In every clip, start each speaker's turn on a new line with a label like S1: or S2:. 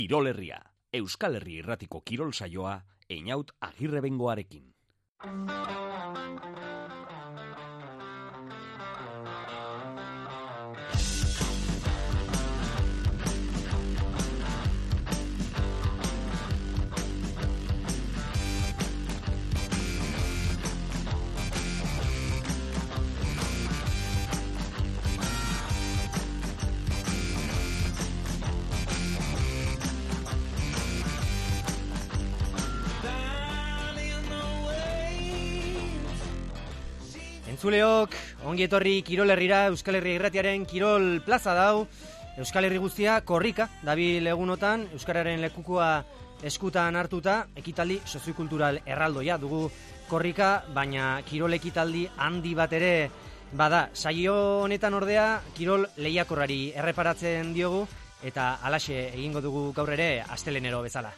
S1: Kirol Herria, Euskal Herri Irratiko kirol saioa, Einaut Agirrebengoarekin.
S2: Entzuleok, ongi etorri Kirol Herrira, Euskal Herri Irratiaren Kirol Plaza dau. Euskal Herri guztia korrika dabil egunotan, euskararen lekukua eskutan hartuta, ekitaldi soziokultural erraldoia dugu korrika, baina kirol ekitaldi handi bat ere bada. Saio honetan ordea kirol lehiakorrari erreparatzen diogu eta halaxe egingo dugu gaur ere astelehenero bezala.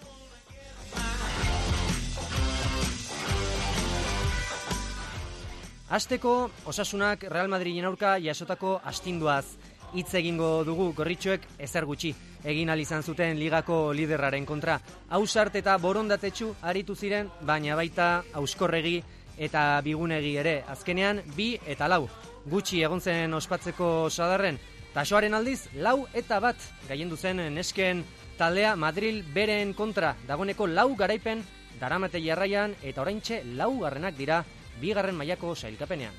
S2: Hasteko, Osasunak Real Madrilen aurka jasotako astinduaz hitz egingo dugu. Gorritxoek ezer gutxi egin ahal izan zuten ligako liderraren kontra. Ausart eta borondatetsu aritu ziren, baina baita Auskorregi eta Bigunegi ere. Azkenean 2 eta 4 gutxi egon zen ospatzeko sadarren. Tasoaren aldiz 4 eta 1 gailendu zen nesken taldea Madril beren kontra. Dagoeneko 4 garaipen daramate jarraian eta oraintxe 4garrenak dira 2. mailako sailkapenean.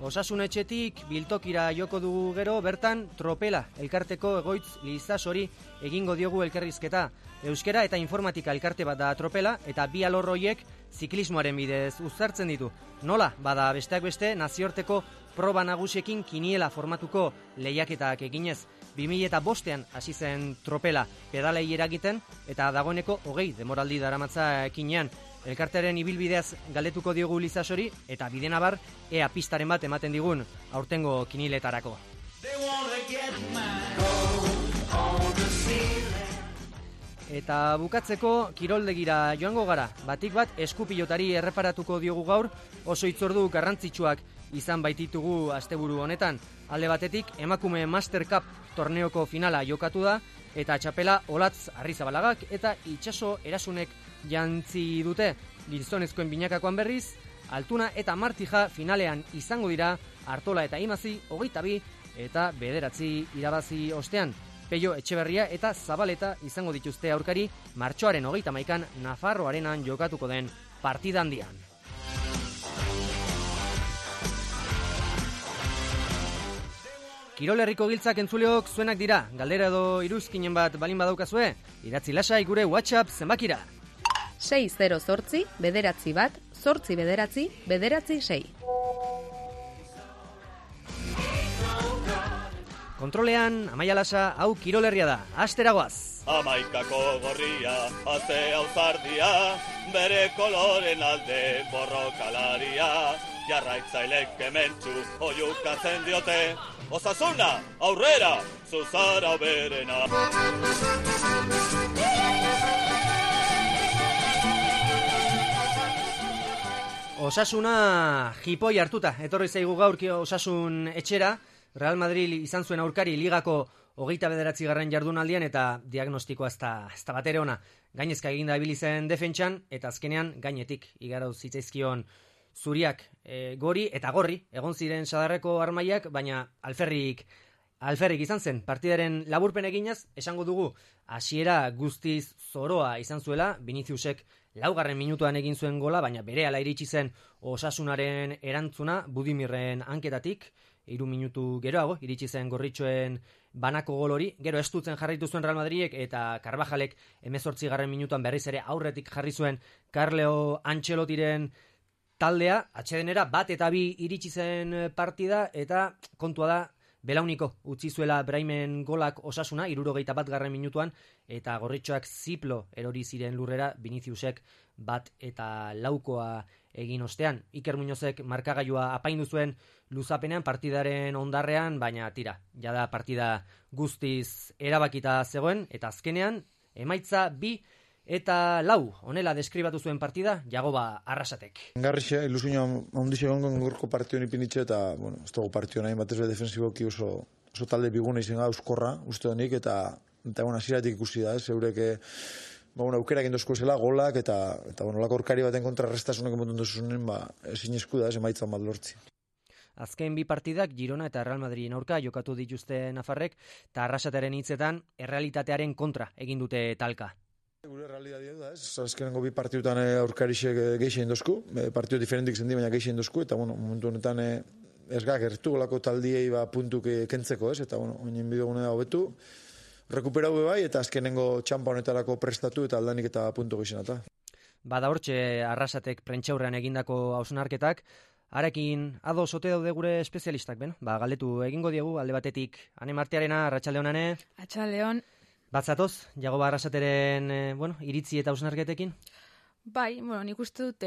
S2: Osasun etxetik biltokira joko dugu gero, bertan Tropela elkarteko egoitz Lizasori egingo diogu elkarrizketa. Euskera eta informatika elkarte bat da Tropela eta 2 alor horiek ziklismoaren bidez uztartzen ditu. Nola, bada besteak beste nazioarteko proba nagusiekin kiniela formatuko lehiaketak eginez. 2005an hasi zen Tropela pedalei eragiten eta dagoeneko 20 demoraldi daramatza ekinean. Elkartearen ibilbideaz galdetuko diogu Lizasori eta bidenabar ea pistaren bat ematen digun aurtengo kiniletarako. Eta bukatzeko kiroldegira joango gara. Batik bat eskupilotari erreparatuko diogu gaur, oso hitzordu garrantzitsuak izan baititugu asteburu honetan. Alde batetik emakume Master Cup torneoko finala jokatu da eta txapela Olatz Arrizabalaga eta Itxaso Erasunek jantzi dute. Gizonezkoen binakakoan berriz, Altuna eta Martija finalean izango dira, Artola eta Imazi 22 eta 9 irabazi ostean. Peio Etxeberria eta Zabaleta izango dituzte aurkari martxoaren 31an Nafarro Arenan jokatuko den partida handian. Kirol Herriko giltzak entzuleok zuenak dira. Galdera edo iruzkinen bat balin badaukazue, idatzi lasai gure WhatsApp zenbakira.
S3: 608 bederatzi bat, 8 bederatzi, bederatzi 6.
S2: Kontrolean, Amaia Lasa, hau Kirol Herria da. Asteragoaz.
S4: Amaikako gorria, azte auzardia, bere koloren alde borrokalaria, jarraitzailek kementxu oiukatzen diote, Osasuna, aurrera, zuzara berena.
S2: Osasuna jipoi hartuta, etorri zaigu gaurki Osasun etxera. Real Madrid izan zuen aurkari ligako 29. jardunaldian eta diagnostikoa ez da bat ere ona. Gainezka eginda ibili zen defentsan eta azkenean gainetik igaro zitzaizkion zuriak. Gori eta gorri egon ziren sadarreko armaiak, baina alferrik izan zen. Partidaren laburpen eginaz, esango dugu hasiera guztiz zoroa izan zuela. Viniciusek 4. minutuan egin zuen gola, baina berehala iritsi zen Osasunaren erantzuna Budimirren hanketatik. 3 minutu geroago iritsi zen gorritxoen banako gol hori. Gero estutzen jarraitu zuen Real Madridek eta Carvajalek 18. minutuan berriz ere aurretik jarri zuen Carlo Ancelottiren taldea. Atsedenera 1 eta 2 iritsi zen partida eta kontua da belauniko utzi zuela Braimen golak Osasuna 71. minutuan eta gorritxoak ziplo erori ziren lurrera Viniciusek 1 eta 4 egin ostean. Iker Muñozek markagailua apaindu zuen luzapenean partidaren ondarrean, baina tira, jada partida guztiz erabakita zegoen eta azkenean emaitza 2 Eta lau, honela deskribatu zuen partida, Jagoba Arrasatek.
S5: Garrixe, ilusioa ondixe gongon gorko partion ipinitxe eta, bueno, ez dugu partion nahi batez defensiboki oso talde biguna izen euskorra, uste honik, eta hasieratik ikusi da, eurek aukerak indozko esela, golak, eta lako orkari baten kontra restasunak emoten duzunen, ezin esku da, emaitzan bat lortzi.
S2: Azken bi partidak Girona eta Real Madridin aurka jokatu dituzte nafarrek, eta Arrasateren hitzetan errealitatearen kontra egin dute talka.
S5: Gure realitatea da, azkenengo bi partidutan aurkarixek geixen dozku, partidu diferentik zendi, baina geixen dozku, eta momentu honetan ez gertu golako taldiei puntuk kentzeko, eta oinen bidegune da hobetu, rekuperau bai, eta azkenengo txampa honetarako prestatu eta aldanik eta puntu geixenata.
S2: Bada hortxe Arrasatek prentxaurrean egindako hausnarketak, harekin ados ote daude gure espezialistak, galdetu egingo diegu, alde batetik, Ane Martiarena, Arratsaldeon Ane.
S3: Arratsaldeon.
S2: Batzatoz, Jagoba Arrasateren iritzi eta hausnarketekin?
S6: Bai, nik uste dut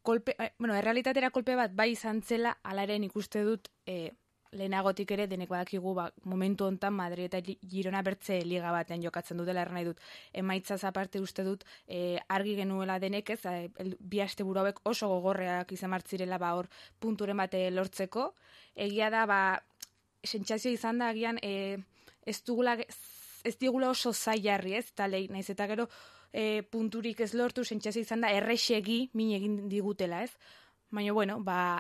S6: errealitatera kolpe bat bai izan zela, hala ere nik uste dut lehenagotik ere denek badakigu momentu hontan Madrid eta Girona bertze liga batean jokatzen dutela, erran nahi dut. Emaitzaz aparte uste dut argi genuela denek ez, bi asteburu hauek oso gogorreak izan martzirela hor punturen bate lortzeko. Egia da, sentsazio izan da agian ez digula oso zailarri, ez, talei, naiz eta gero punturik ez lortu, sentsazio izan da errexegi min egin digutela, ez? Baina,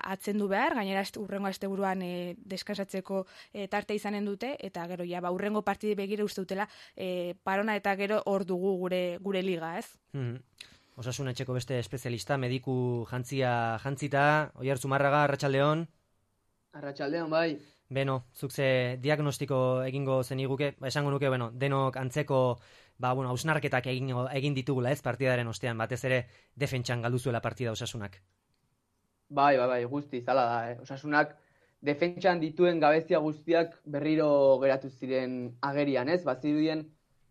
S6: atzendu behar, gainera urrengo asteburuan deskansatzeko tarte izanen dute, eta gero, urrengo partidi begire uste dutela, parona eta gero hor dugu gure liga, ez?
S2: Osasun etxeko beste espezialista, mediku jantzita, Oier Zumarraga, Arratsaldeon.
S7: Arratsaldeon, bai.
S2: Beno, zuk ze diagnostiko egingo zeniguke, esango nuke, denok antzeko hausnarketak egin ditugula ez partidaren ostean, batez ere defentsan galduzuela partida Osasunak.
S7: Bai, guzti, zala da. Osasunak defentsan dituen gabezia guztiak berriro geratu ziren agerian, ez? Bazirudien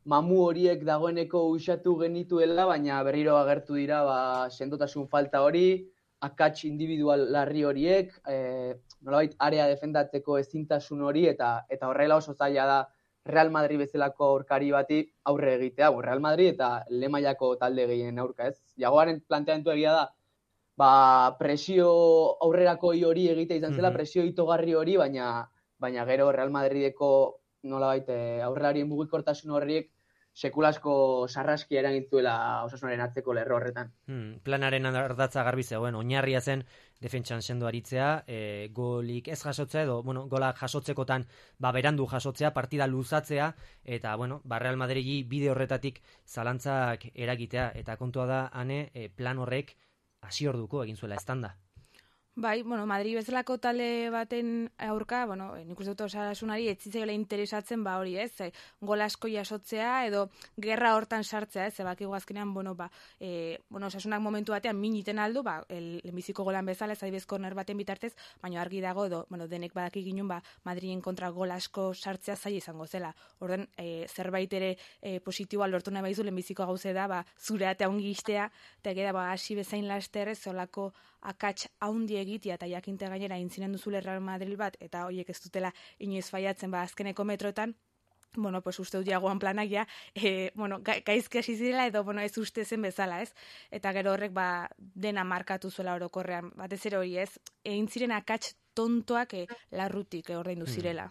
S7: mamu horiek dagoeneko usatu genituela, baina berriro agertu dira sendotasun falta hori, akats individual larri horiek, nolabait area defendatzeko ezintasun hori, eta horrela oso zaila da Real Madrid bezalako aurkari bati aurre egitea. Real Madrid eta lehen mailako talde gehien aurka, ez? Jagoaren planteamendu egia da, presio aurrerako hori egitea izan zela, presio itogarri hori, baina gero Real Madrideko nolabait aurrelarien mugikortasun horriek sekulasko sarraskia eragintzuela Osasunaren atzeko lerro horretan.
S2: Planaren ardatza garbi zegoen, oinarria zen defentsan sendo aritzea, golik ez jasotzea edo, golak jasotzekotan berandu jasotzea, partida luzatzea, eta, Real Madridi bide horretatik zalantzak eragitea, eta kontua da, Ane, plan horrek hasi orduko egin zuela estanda.
S6: Bai, Madrid bezalako talde baten aurka, nik uste dut Osasunari ez zitzaiola interesatzen hori, ez? Gol asko jasotzea edo gerra hortan sartzea, ez? Bakigu azkenean, Osasunak momentu batean miniten aldu, lehenbiziko golan bezala, ez adibidez korner baten bitartez, baina argi dago edo, denek badaki ginen, Madriden kontra gol asko sartzea zaila izango zela. Orden, zerbait ere positiboa lortu nahi baizu, lehenbiziko gauze da, zure atea ongi istea, eta geda, hasi bezain laster ez, zolako akats haundi egitea eta jakinte gainera intzinen duzule Real Madrid bat, eta horiek ez dutela inoiz faiatzen azkeneko metroetan, uste dut Jagoan planak gaizki hasi zirela edo ez uste zen bezala, ez? Eta gero horrek dena markatu zuela orokorrean, batez ere hori, ez? Egin ziren akats tontoak larrutik ordaindu zirela.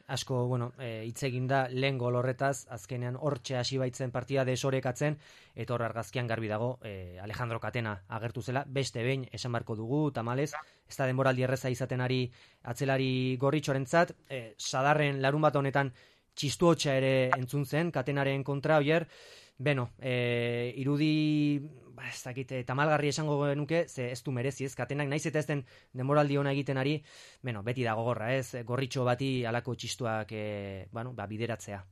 S2: Asko, hitz egin da lehen gol horretaz, azkenean hortxe hasi baitzen partida desorekatzen, eta hor argazkian garbi dago Alejandro Catena agertu zela, beste behin esan barko dugu, tamalez, ez da denboraldi erreza izaten ari atzelari gorritxorentzat, sadarren larun bat honetan txistu hotxa ere entzun zen, Catenaren kontra, Oier, irudi, ez dakit, tamalgarri esango genuke, ze ez du merezi, ez, Catenak naiz eta ez den denboraldi ona egiten ari, beti da gogorra, ez, gorritxo bati alako txistuak, bideratzea.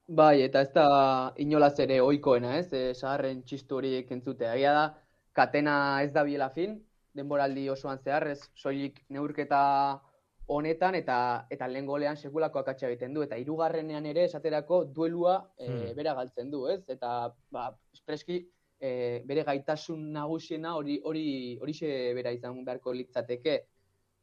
S7: Bai, eta ez da inolaz ere ohikoena, ez, sagarren txistu horiek entzutea. Egia da, Catena ez da biela fin, denboraldi osoan zehar, ez, soilik neurketa honetan eta lehen golean sekulako akatsa egiten du, eta hirugarrenean ere esaterako duelua bera galtzen du, ez? Eta espreski bere gaitasun nagusiena horixe bera izan beharko litzateke.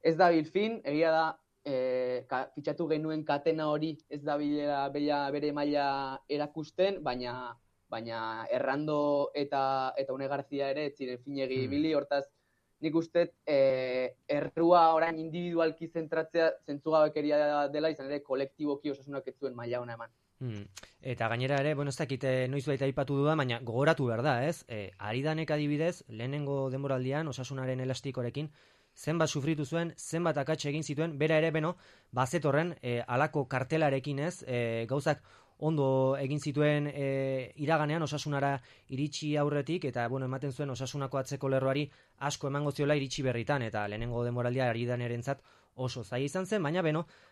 S7: Ez da bilfin, egia da fitxatu genuen Catena hori ez da bere maila erakusten, baina baina Errando eta Une Garzia ere ez ziren finegi ibili, hortaz nik uste errua orain individualki zentratzea zentzugabekeria dela, izan ere kolektiboki Osasunak ez zuen maila ona eman.
S2: Eta gainera ere, ez dakit noiz baita aipatu duda, baina gogoratu behar da, ez? Aridanek adibidez, lehenengo denboraldian Osasunaren elastikorekin, zenbat sufritu zuen, zenbat akats egin zituen, bera ere, bazetorren, alako kartelarekin, ez? Gauzak ondo egin zituen iraganean Osasunara iritsi aurretik, eta ematen zuen Osasunako atzeko lerroari asko emango ziola iritsi berritan, eta lehenengo denboraldia Aridanerentzat oso zaila izan zen, baina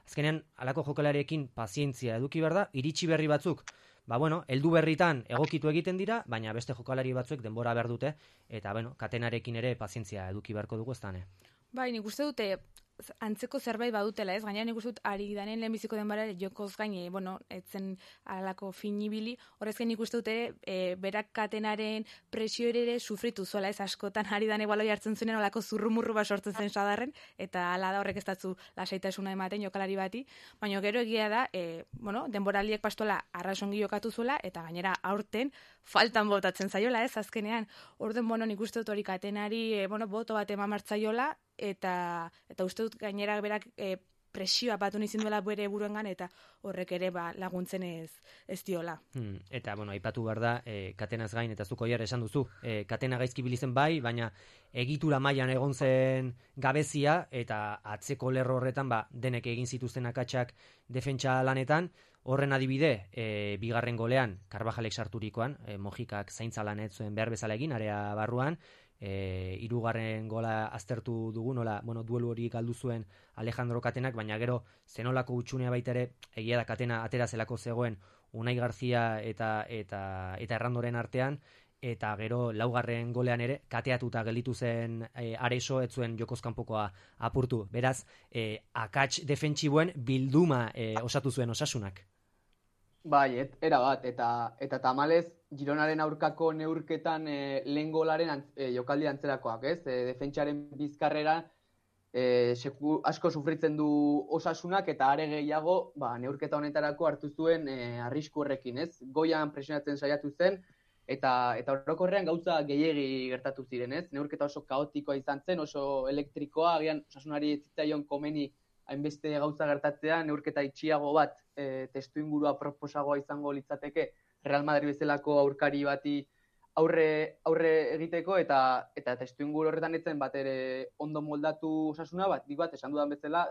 S2: azkenean alako jokalariekin pazientzia eduki behar da, iritsi berri batzuk, heldu berritan egokitu egiten dira, baina beste jokalari batzuek denbora behar dute, eta katenarekin ere pazientzia eduki beharko dugu ez dane.
S6: Bai, nik uste dute antzeko zerbait badutela, ez? Gainera nik uste dut Aridanen lehenbiziko denbora jokoz gain, etzen alako finibili, horrezken nik uste dute berak katenaren presio ere sufritu zuela, ez? Askotan Aridane baloi hartzen zuenen olako zurrumurru bat sortzen zen sadarren, eta ala da horrek ez datzu lasaitasuna ematen jokalari bati, baina gero egia da, denboraldiek pastola arrasongi jokatu zuela, eta gainera aurten faltan botatzen zaiola, ez? Azkenean, orden nik uste dut hori katenari, boto bat eman martzaiola, eta uste dut gainera berak presioa batu nizin duela bere buruengan, eta horrek ere laguntzen ez diola.
S2: Eta, aipatu behar da, katenaz gain, eta zuko jar esan duzu, katena gaizki bilizen bai, baina egitura mailan egon zen gabezia, eta atzeko lerro horretan, denek egin zituzten akatsak defentsa lanetan, horren adibide, bigarren golean, Karbajalek sarturikoan, Mojikak zaintza lan ez zuen behar bezala egin, area barruan, hirugarren gola aztertu dugu, nola, duelu hori galdu zuen Alejandro Katenak, baina gero zenolako utxunea baita ere, egia da Katena atera zelako zegoen Unai Garzia eta Errandoren artean, eta gero laugarren golean ere kateatuta gelditu zen Areso, ez zuen jokozkanpokoa apurtu. Beraz, akats defentsiboen bilduma osatu zuen Osasunak.
S7: Bai, era bat, eta tamalez Gironaren aurkako neurketan lehen golaren jokaldi antzerakoak, ez? Defentsaren bizkarrera asko sufritzen du Osasunak, eta are gehiago neurketa honetarako hartu zuen arrisku horrekin, ez? Goian presionatzen saiatu zen, eta orokorrean gauza gehiegi gertatu ziren, ez? Neurketa oso kaotikoa izan zen, oso elektrikoa, agian Osasunari ez zitzaion komeni hainbeste gauza gertatzea, neurketa itxiago bat, testuingurua proposagoa izango litzateke Real Madrid bezalako aurkari bati aurre egiteko, eta testuinguru horretan etzen bat ere ondo moldatu Osasuna, dik bat esan dudan bezala,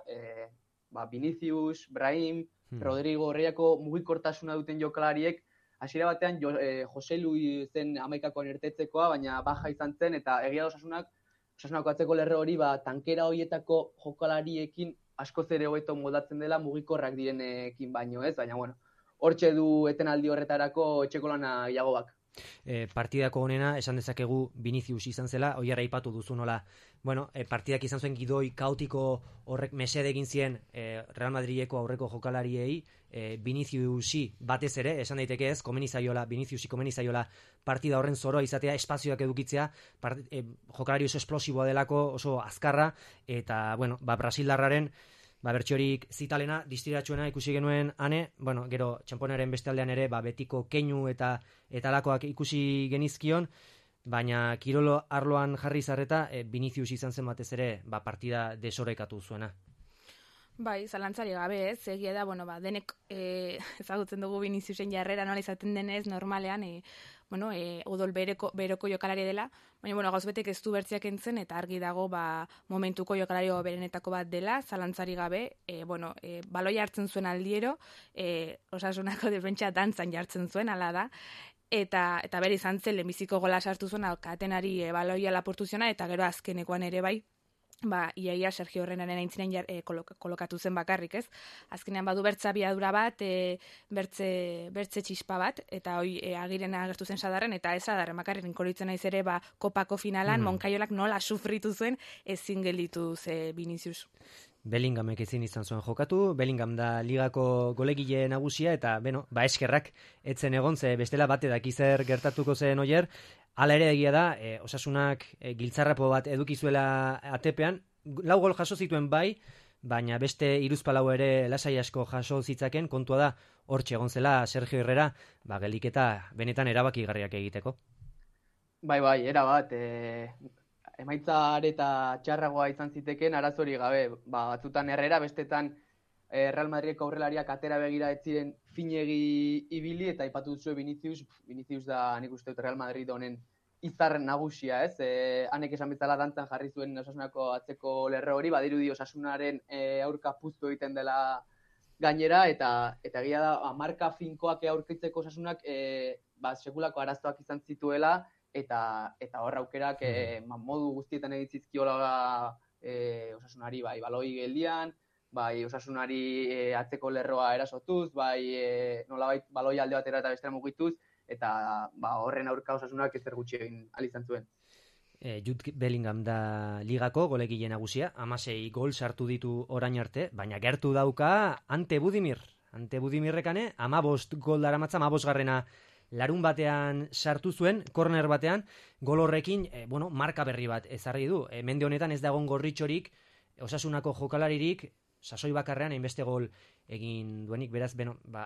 S7: Vinicius, Brahim, Rodrigo, Reiako mugikortasuna duten jokalariek, hasiera batean Jose Luis zen amaikakoan irtetzekoa, baina baja izan zen, eta egia da Osasunako atzeko lerro hori tankera horietako jokalariekin askoz ere hobeto moldatzen dela mugikorrak direnekin baino, ez? Baina, hortxe du etenaldi horretarako etxeko lana gehiagobak.
S2: Partidako honena, esan dezakegu Vinicius izan zela, oiara aipatu duzu nola, partidak izan zuen gidoi kaotiko horrek mesede egin zien Real Madrideko aurreko jokalariei, Viniciusi batez ere, esan daiteke ez, Viniciusi komeni zaiola partida horren zoroa izatea, espazioak edukitzea, jokalari oso esplosiboa delako, oso azkarra, eta, Brasildarraren bertxorik zitalena, distiratxuena ikusi genuen ane, gero txamponaren beste aldean ere, betiko keinu eta alakoak ikusi genizkion, baina kirolo arloan jarri zarreta, Vinicius izan zen batez ere, partida desorekatu zuena.
S6: Bai, zalantzari gabe, ez, egia da, denek ezagutzen dugu Viniciusen jarrera nola izaten denez, normalean, odol beroko jokalari dela, baina, gauzbetek ez du bertziak entzen, eta argi dago, momentuko jokalari berenetako bat dela, zalantzari gabe, baloi hartzen zuen aldiero, Osasunako defentsa dantzan jartzen zuen, ala da, eta bere izan zen, lehenbiziko gola sartu zuen, Katenari baloia lapurtu ziona, eta gero azkenekoan ere bai, iaia Sergio Herrenaren aintzinen kolokatu zen bakarrik, ez? Azkenean badu bertza biadura bat, bertze txispa bat, eta hoi Agiren agertu zen sadarren, eta ez sadarren bakarrik inkoritzen naiz ere, kopako finalan, Moncayolak nola sufritu zuen ezin gelditu ze Vinicius.
S2: Bellinghamek ezin izan zuen jokatu, Bellingham da ligako golegile nagusia, eta, eskerrak etzen egon, ze bestela bate dakizer gertatuko zen oier. Hala ere egia da, Osasunak giltzarrapo bat eduki zuela atepean, 4 gol jaso zituen bai, baina beste hiruzpalau ere lasai asko jaso zitzaken, kontua da hortxe egon zela Sergio Herrera, geliketa benetan erabakigarriak egiteko.
S7: Bai, erabat, emaitza areta txarragoa izan ziteken arazori gabe, batzutan Herrera, bestetan Real Madrideko aurrelariak atera begira ez ziren finegi ibili, eta aipatu duzue Vinicius da nik uste dut Real Madrid honen izarren nagusia, ez? Hanek esan bezala dantzan jarri zuen Osasunako atzeko lerro hori, badirudi Osasunaren aurka puztu egiten dela gainera, eta egia da, marka finkoak aurkitzeko Osasunak sekulako arazoak izan zituela, eta hor aukerak modu guztietan egitzizkiola Osasunari, bai, baloi geldian, bai, Osasunari atzeko lerroa erasotuz, bai, nolabait baloi alde batera eta bestera mugituz, eta horren aurka Osasunak ezer gutxi egin ahal izan zuen.
S2: Jude Bellingham da ligako golegile nagusia, 16 gol sartu ditu orain arte, baina gertu dauka Ante Budimir. Ante Budimirrekane 15 gol daramatza, 15garrena larun batean sartu zuen, korner batean, gol horrekin, marka berri bat ezarri du. Mende honetan ez dagoen gorritxorik, Osasunako jokalaririk, sasoi bakarrean hainbeste gol egin duenik, beraz,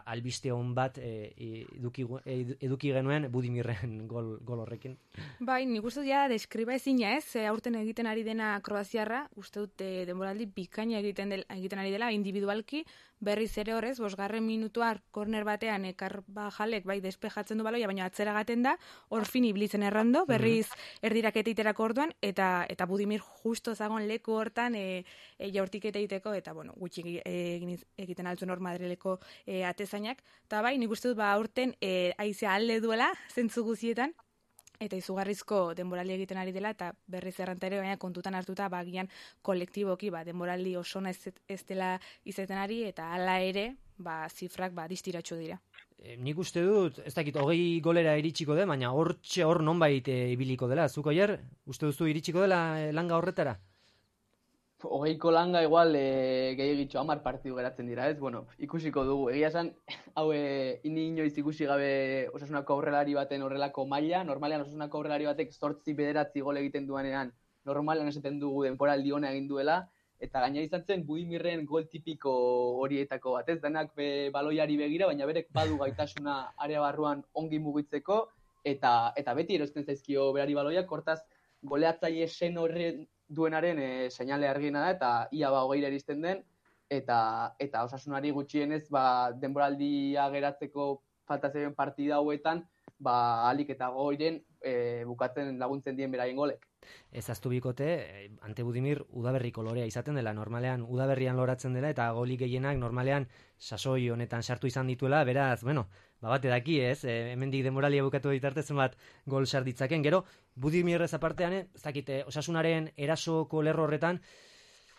S2: albiste hon bat eduki genuen Budimirren gol horrekin.
S6: Bai, nik uste ja deskriba ezina ez, aurten egiten ari dena Kroaziarra, uste dut denboraldi bikaina egiten ari dela, individualki, berriz ere horrez, 5. minutuar korner batean Carvajalek bai despejatzen du baloia, baina atzera gaten da, hor fin iblitzen errando, berriz erdiraketa iterako orduan, eta Budimir justo zagon leku hortan jaurtiketa egiteko, eta gutxi egiten altzuen hor Madrileko atezainak, eta bai, nik uste dut aurten aizea alde duela, zentzu guzietan, eta izugarrizko denboraldi egiten ari dela, eta berriz erranta ere, baina kontutan hartuta, gian kolektiboki, denboraldi osona ez dela izaten ari, eta hala ere, zifrak distiratxo dira.
S2: Nik uste dut, ez dakit, 20 golera iritsiko den, baina hor nonbait ibiliko dela. Zuko Oier, uste duzu iritsiko dela langa horretara?
S7: 20ko langa igual gehiagitxo 10 partidu geratzen dira, ez? Ikusiko dugu. Egia esan, hau inoiz ikusi gabe Osasunako aurrelari baten horrelako maila, normalean Osasunako aurrelari batek 8-9 gol egiten duanean, normalean esaten dugu denboraldi ona egin duela, eta gaina izan zen Budimirren gol tipiko horietako bat, ez? Denak baloiari begira, baina berek badu gaitasuna area barruan ongi mugitzeko, eta beti erosten zaizkio berari baloiak, hortaz goleatzaile sen horren duenaren seinale argiena da, eta ia 20 eristen den, eta Osasunari gutxienez denboraldia geratzeko falta zeuden partida hauetan, alik eta goiren bukatzen laguntzen dien beraien golek.
S2: Ez aztu bikote, Ante Budimir udaberriko lorea izaten dela, normalean udaberrian loratzen dela, eta golik gehienak normalean sasoi honetan sartu izan dituela, beraz, bate daki ez, hemendik denboralia bukatu ditarte zenbat gol sarditzaken, gero, Budimirrez apartean, ez dakite, Osasunaren erasoko lerro horretan,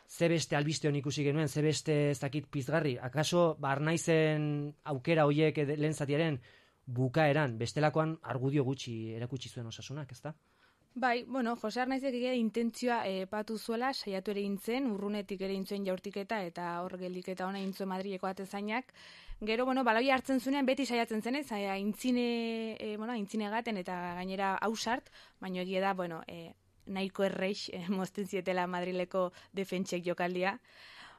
S2: ze beste albiste hon ikusi genuen, ze beste ez dakit pizgarri, akaso, Arnaizen aukera hoiek lehen zatiaren bukaeran, bestelakoan argudio gutxi erakutsi zuen Osasunak, ezta?
S6: Bai, Jose Arnaizek intentzioa patu zuela, saiatu ere intzen, urrunetik ere intzuen jaurtiketa, eta hor geldiketa ona intzuen Madrileko atezainak. Gero, baloia hartzen zuenean, beti saiatzen zenez, aintzine gaten eta gainera hausart, baina egia da, nahiko erreix mozten zietela Madrileko defentsek jokaldia.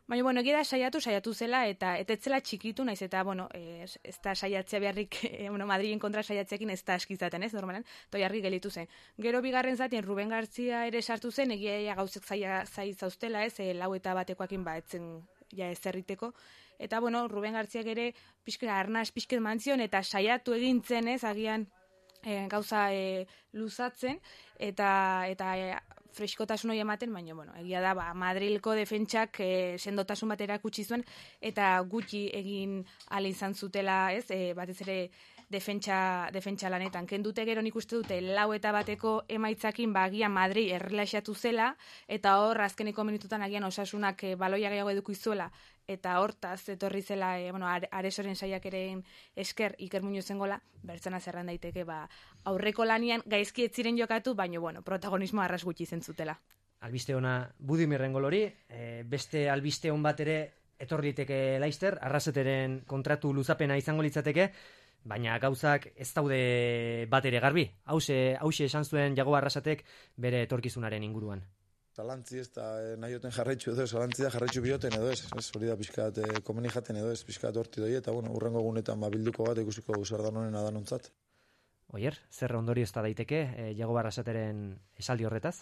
S6: Baina, egia da saiatu zela, eta etzela txikitu, naiz eta, ez da saiatzea beharrik, Madrilen kontra saiatzeakin ez da askizaten, ez, normalen, toiarri gelitu zen. Gero bigarren zatien Ruben Gartzia ere sartu zen, egia gauzek zai zauztela, ez, lau eta batekoakin etzen ez erriteko. Eta, Ruben Gartziak ere arnaz pixket mantzion, eta saiatu egintzen, ez, agian gauza luzatzen, eta freskotasun hori ematen, baina, egia da, Madrilko defentsak sendotasun bat erakutsi zuen, eta gutxi egin ala izan zutela, ez, batez ere defentsa lanetan. Kendute gero nik uste dute, 4 eta bateko emaitzakin, agian Madrid errelaxatu zela, eta hor, azkeneko minututan agian Osasunak baloia gehiago edukizuela, eta hortaz etorri zela, Aresoren saiakeren esker Iker Muñozen gola, bertzena zerran daiteke, aurreko lanian gaizki ez ziren jokatu, baina, protagonismo arras gutxi zentzutela.
S2: Albiste ona Budimirren gol hori, beste albiste on bat ere etorri liteke Leicester, Arraseteren kontratu luzapena izango litzateke, baina gauzak ez daude bat ere garbi. Hauxe esan zuen Jago Arrasatek bere etorkizunaren inguruan.
S5: talantzi ez, eta nahioten jarraitzu edo ez, talantzi da jarraitzu bioten edo ez, hori da pixkat komeni jaten edo ez, pixkat horti doi, eta bueno, urrengo egunetan bilduko bat ikusiko zer da nonen adanontzat.
S2: Oier, zer ondorio ez da daiteke, Jago Barrasateren esaldi horretaz?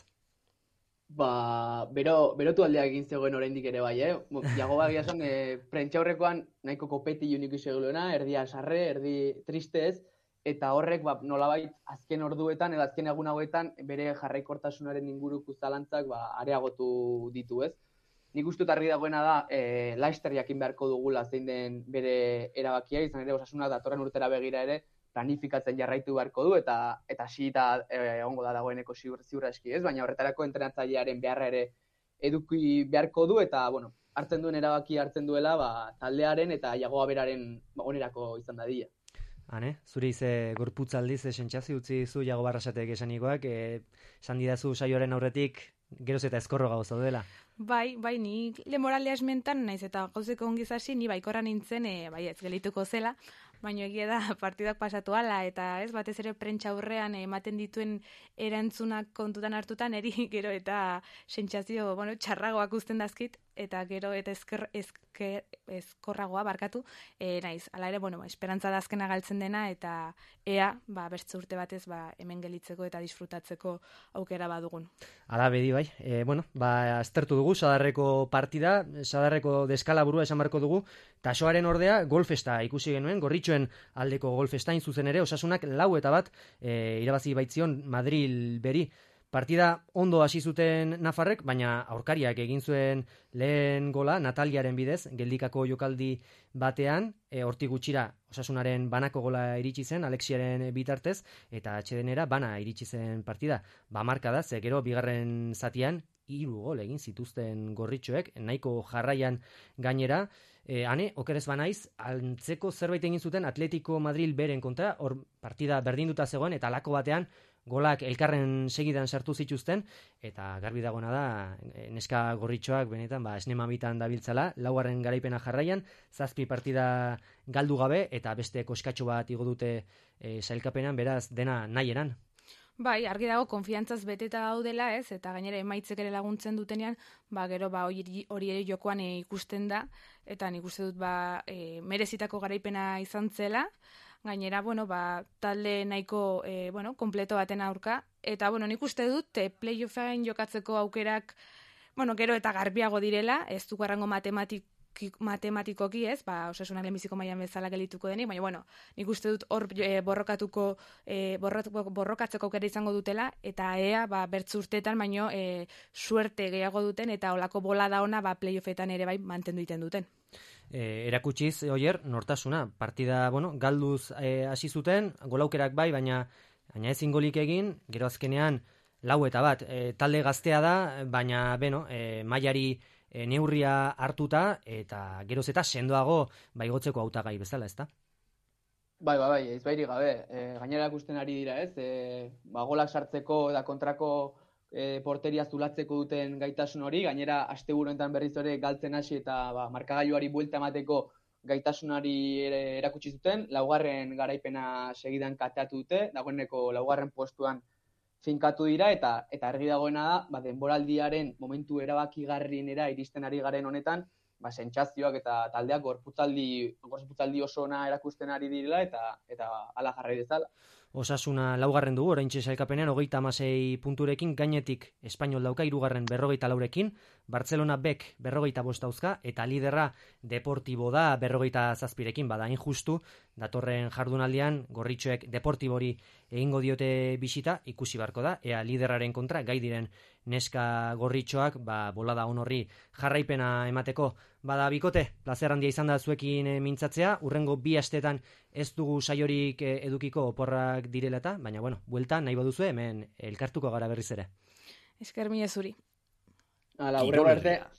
S7: Berotu aldeak egin zegoen oraindik ere bai, Jago Bagia esan, prentxaurrekoan nahiko kopeti unik iseguloena, erdia sarre, erdi triste ez, eta horrek nolabait azken orduetan edo azken egun hauetan bere jarraikortasunaren inguruko zalantzak areagotu ditu, ez? Nik uste argi dagoena da, Leicester jakin beharko dugula zein den bere erabakia, izan ere Osasuna datorren urtera begira ere planifikatzen jarraitu beharko du, eta hasita egongo da dagoeneko ziurra eski, ez? Baina horretarako entrenatzailearen beharra ere eduki beharko du, eta, bueno, hartzen duen erabaki hartzen duela, taldearen eta Jagoa beraren onerako izan dadila.
S2: Hane, zure ize gorputzaldiz sentsazio utzi zu Jago Barrasatek esanikoak, esan didazu saioaren aurretik geroz eta eskorro gauza dela.
S6: Bai, ni lemoralea esmentan naiz eta gauzeko ongizasi ni baikorra nintzen, bai ez gelituko zela, baina egia da partidak pasatu ala, eta ez batez ere prentsa aurrean ematen dituen erantzunak kontutan hartutan eri gero eta sentsazio, txarragoak uzten dazkit, eta gero eta eskorragoa barkatu, naiz. Hala ere, esperantza da azkena galtzen dena, eta ea, bertze urte batez, hemen gelitzeko eta disfrutatzeko aukera badugun.
S2: Hala bedi bai, aztertu dugu, Sadarreko partida, Sadarreko deskalaburua esan barko dugu, Tasoaren ordea golfesta ikusi genuen, Gorritxoen aldeko golfesta zuzen ere, Osasunak 4-1 irabazi baitzion Madril beri. Partida ondo hasi zuten nafarrek, baina aurkariak egin zuen lehen gola Nataliaren bidez, geldikako jokaldi batean, hortik gutxira Osasunaren banako gola iritsi zen, Alexiaren bitartez, eta atsedenera bana iritsi zen partida. Marka da, ze gero bigarren zatian 3 gol egin zituzten Gorritxoek, nahiko jarraian gainera, okerez banaiz, antzeko zerbait egin zuten Atletico Madril beren kontra, hor partida berdinduta zegoen, eta alako batean golak elkarren segidan sartu zituzten, eta garbi dagoena da, neska Gorritxoak benetan, esnemabitan dabiltzala, 4. garaipena jarraian, 7 partida galdu gabe, eta beste koskatxo bat igo dute sailkapenan, beraz, dena nahieran.
S6: Bai, argi dago, konfiantzaz beteta daudela, ez? Eta gainera emaitzek ere laguntzen dutenean, gero hori ere jokoan ikusten da, eta nik uste dut merezitako garaipena izan zela, gainera, talde nahiko, kompleto baten aurka, eta, nik uste dut, playoffen jokatzeko aukerak, gero eta garbiago direla, ez du garrango matematikoki, ez, Osasunak lehenbiziko mailan bezala gelituko denik, baina, nik uste dut hor borrokatzeko aukera izango dutela, eta ea, bertzu urteetan, baino, suerte gehiago duten, eta olako bolada ona, playoffetan ere bai mantendu egiten duten.
S2: Erakutsiz, Oier, nortasuna, partida, galduz hasi zuten, golaukerak bai, baina ezin golik egin, gero azkenean 4-1, talde gaztea da, baina, mailari neurria hartuta, eta geroz eta sendoago igotzeko hautagai bezala, ezta?
S7: Bai, ez bairik gabe, gainera ikusten ari dira, ez? Golak sartzeko eta kontrako porteria zulatzeko duten gaitasun hori, gainera asteburu honetan berriz ere galtzen hasi eta markagailuari buelta emateko gaitasunari ere erakutsi zuten, 4. garaipena segidan kateatu dute, dagoeneko 4. postuan finkatu dira, eta argi dagoena da, denboraldiaren momentu erabakigarrienera iristen ari garen honetan, sentsazioak eta taldeak gorputzaldi oso ona erakusten ari direla, eta hala jarrai dezala.
S2: Osasuna 4. dugu, oraintxe sailkapenean 36 punturekin, gainetik Espainol dauka 3. 44rekin, Barcelona Bek 45 dauzka, eta liderra Deportibo da 47rekin, bada injustu, datorren jardunaldian Gorritxoek Deportibori egingo diote bisita, ikusi beharko da, ea liderraren kontra gai diren neska Gorritxoak, bolada honorri jarraipena emateko. Bada bikote, plazer handia izan da zuekin mintzatzea, urrengo 2 astetan ez dugu saiorik edukiko oporrak direla eta, baina buelta nahi baduzue hemen elkartuko gara berriz ere.
S6: Esker mila zuri.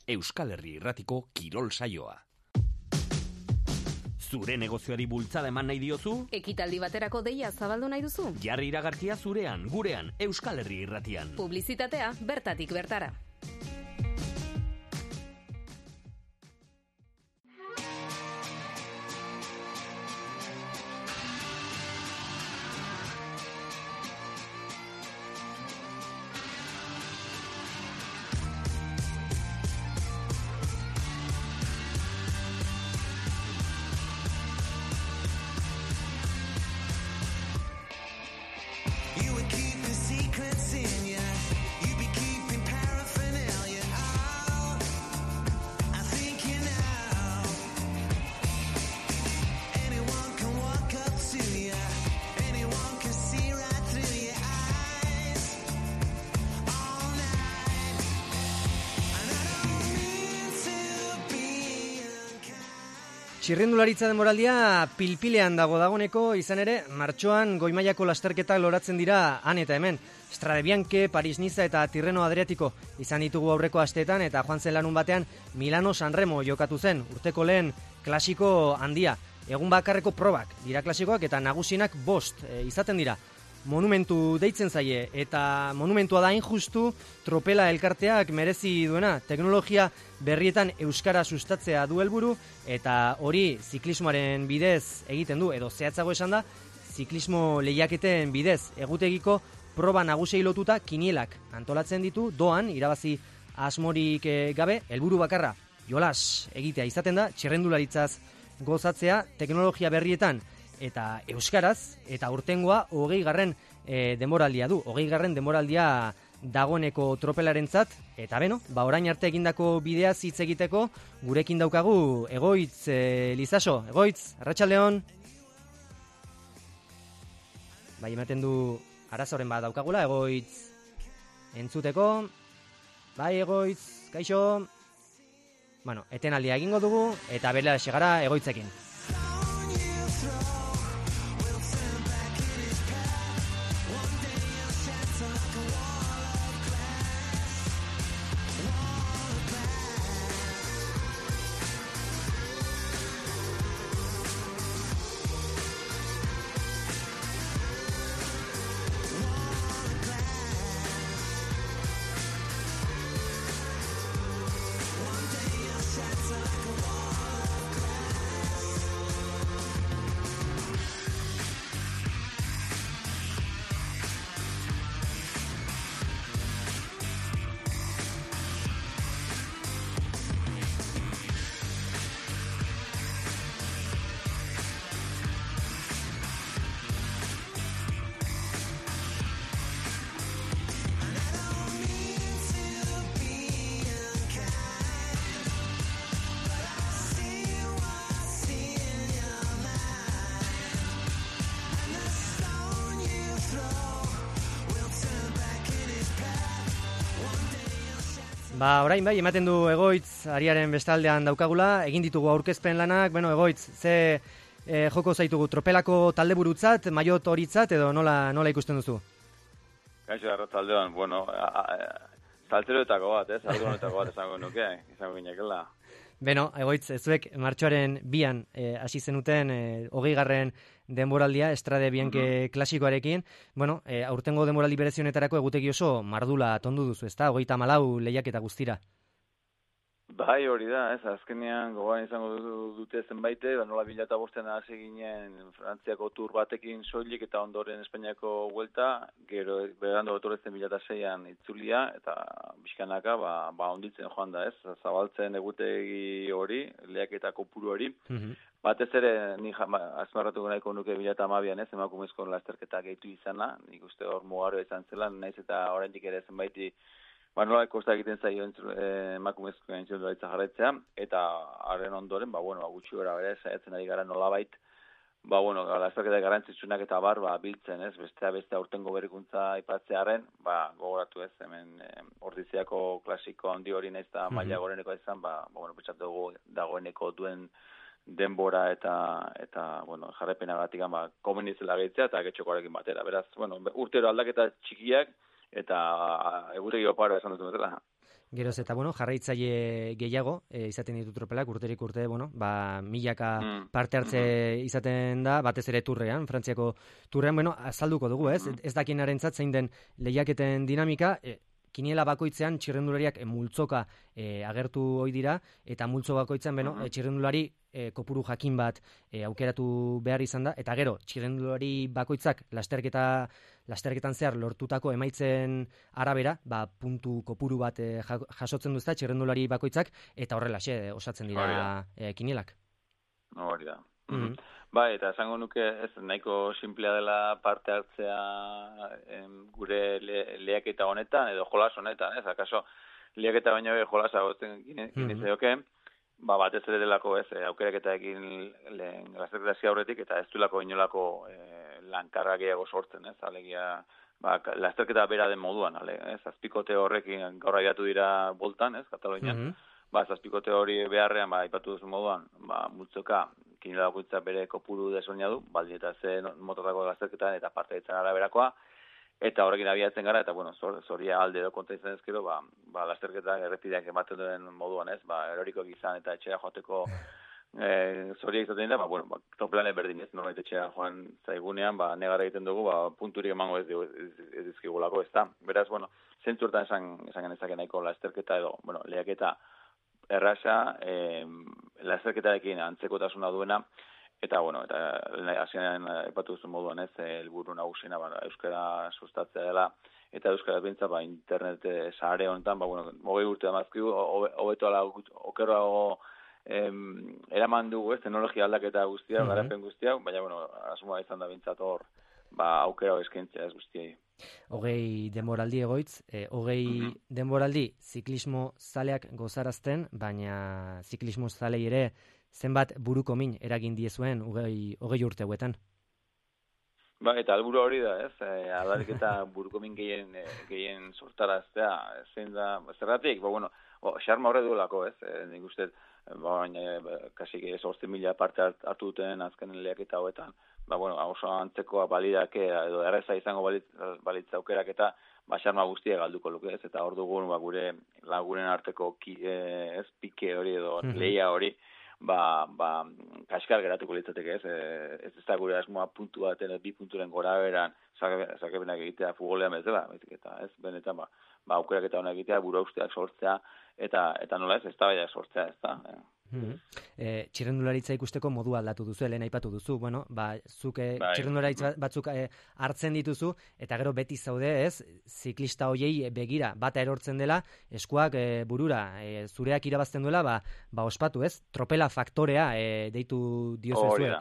S1: Euskal Herri Irratiko Kirol Saioa. Zure negozioari bultzada eman nahi diozu?
S3: Ekitaldi baterako deia zabaldu nahi duzu?
S1: Jarri iragarkia zurean, gurean, Euskal Herri Irratian.
S3: Publizitatea bertatik bertara.
S2: Txirrindularitza denboraldia pilpilean dagoeneko, izan ere, martxoan goi-mailako lasterketak loratzen dira han eta hemen. Strade Bianche, Paris-Niza eta Tirreno Adriatiko izan ditugu aurreko asteetan eta joan zen larun batean Milano-San Remo jokatu zen, urteko lehen klasiko handia. Egun bakarreko probak dira klasikoak eta nagusienak 5 izaten dira. Monumentu deitzen zaie eta monumentua da injustu tropela elkarteak merezi duena. Teknologia berrietan euskara sustatzea du helburu eta hori ziklismoaren bidez egiten du, edo zehatzago esan da, ziklismo lehiaketen bidez egutegiko proba nagusiei lotuta kinielak antolatzen ditu, doan irabazi asmorik gabe, helburu bakarra jolas egitea izaten da, txirrendularitzaz gozatzea teknologia berrietan eta euskaraz, eta urtengoa 20. Denboraldia du. 20. denboraldia dagoeneko tropelarentzat, eta beno, orain arte egindako bideaz hitz egiteko, gurekin daukagu Egoitz Lizaso. Egoitz, arratsaldeon. Bai, ematen du arazoren bat daukagula, Egoitz entzuteko. Bai, Egoitz, kaixo. Bueno, etenaldia egingo dugu, eta berela segara Egoitzekin. Orain bai, ematen du Egoitz ariaren bestaldean daukagula, egin ditugu aurkezpen lanak, Egoitz, ze joko zaitugu, tropelako taldeburutzat, maiot horitzat, edo nola ikusten duzu?
S8: Kaixo, arratsaldean, saltzeroetako bat, aldunetako bat izango nuke, izango ginekela.
S2: Beno, Egoitz, zuek martxoaren 2an hasi zenuten 20. denboraldia, Strade Bianche klasikoarekin. Aurtengo denboraldi berezionetarako egutegi oso mardula tondu duzu, ezta? 34 lehiaketa guztira.
S8: Bai, hori da, azkenean gogoan izango dute zenbaite, nola 2005an hasi ginen Frantziako tur batekin soilik eta ondoren Espainiako vuelta, gero berando etortzen 2006an itzulia eta bizkanaka onditzen joan da, zabaltzen egutegi hori, lehiaketa kopuru hori. Batez ere, ni azmarratu nahiko nuke 2012an emakumezko lasterketa gehitu izana, nik uste hor mugaroa izan zela, naiz eta oraindik ere zenbaiti nola kosta egiten zaio emakumezko txirrindularitza jarraitzea, eta haren ondoren, gutxi gora bere, saiatzen ari gara nolabait, lasterketa garrantzitsunak eta biltzen, beste aurtengo berrikuntza aipatzearen, gogoratu hemen Ordiziako klasiko handi hori naiz eta maila goreneko izan, pentsatu dugu dagoeneko duen denbora eta jarraipenagatik komenizela gehitzea eta getxokoarekin batera. Beraz, urtero aldaketa txikiak, eta egutegi oparo esan dut betela.
S2: Geroz eta, jarraitzaile gehiago izaten ditu tropelak, urterik urte, milaka parte hartze izaten da, batez ere turrean, Frantziako turrean, azalduko dugu, ez dakienarentzat zein den lehiaketen dinamika, kiniela bakoitzean txirrendulariak multzoka agertu ohi dira, eta multzo bakoitzean, txirrendulari kopuru jakin bat aukeratu behar izan da, eta gero, txirrendulari bakoitzak lasterketan zehar lortutako emaitzen arabera, puntu kopuru bat jasotzen duzta txirrendulari bakoitzak, eta horrelaxe osatzen dira kinielak.
S8: Hori da. Bai, eta esango nuke ez nahiko simplea dela parte hartzea gure lehiaketa honetan, edo jolas honetan, akaso lehiaketa baino jolasa gotzen ginezaioke, batez ere delako aukeraketaekin lasterketa aurretik eta ez duelako inolako lankarra gehiago sortzen, alegia lasterketa bera den moduan, azpikote horrekin gaur abiatu dira boltan, Katalunian, zazpikote hori beharrean, aipatu duzu moduan, multzoka, kinela bakoitza bere kopuru desberdina du, baldin eta ze motorrako lasterketan eta parte ditzen araberakoa, eta horrekin abiatzen gara, eta, zoria alde edo konta izan ezkero, lasterketak errepideak ematen duen moduan ez, erorikoak izan eta etxera joateko zoria izaten da, toplan berdin ez, norbait etxera joan zaigunean, negarra egiten dugu, punturik emango ez dizkigulako ez da. Beraz, zentzu hortan esan genezake nahiko lasterketa edo, lehiaketa erraza, lasterketarekin antzekotasuna duena, eta, hasieran epatu duzu moduan ez, helburu nagusina, euskara sustatzea dela, eta euskara bintza, internet sare honetan, 20 urte damazkigu, hobeto ala okerrago eraman dugu, teknologia aldaketa guztia, garapen guztia, baina, asmoa izan da bintzat hor, aukera eskaintzea ez guztiei.
S2: 20 denboraldi egoitz, 20 denboraldi ziklismo zaleak gozarazten, baina ziklismo zalei ere zenbat buruko min eragin diezuen 20 urte hauetan.
S8: Eta alburu hori da, ez? Adarik eta buruko min gehien sortaraztea, zein da, zergatik, xarma horre duelako, ez? Nik uste, kasik 8.000 parte hartu duten azkenen lehiaketa hauetan, oso antzekoa balidake, edo erreza izango balitza aukerak eta xarma guztia galduko luke, ez? Eta hor dugun, gure lagunen arteko ez pike hori edo lehia hori, kaskar geratuko litzateke, ez? Ez da gure asmoa puntu baten, 2 punturen gora beran, sakebenak egitea futbolean bezala, eta ez, benetan, aukerak eta honak egitea, buru usteak sortzea, eta nola ez da baina sortzea, ez da.
S2: Txirrendularitza ikusteko modu aldatu duzu, lehen aipatu duzu, zuk txirrendularitza batzuk hartzen dituzu, eta gero beti zaude, ez, ziklista hoiei begira, bata erortzen dela, eskuak burura, zureak irabazten duela, ospatu, ez, tropela faktorea deitu diozu zuek.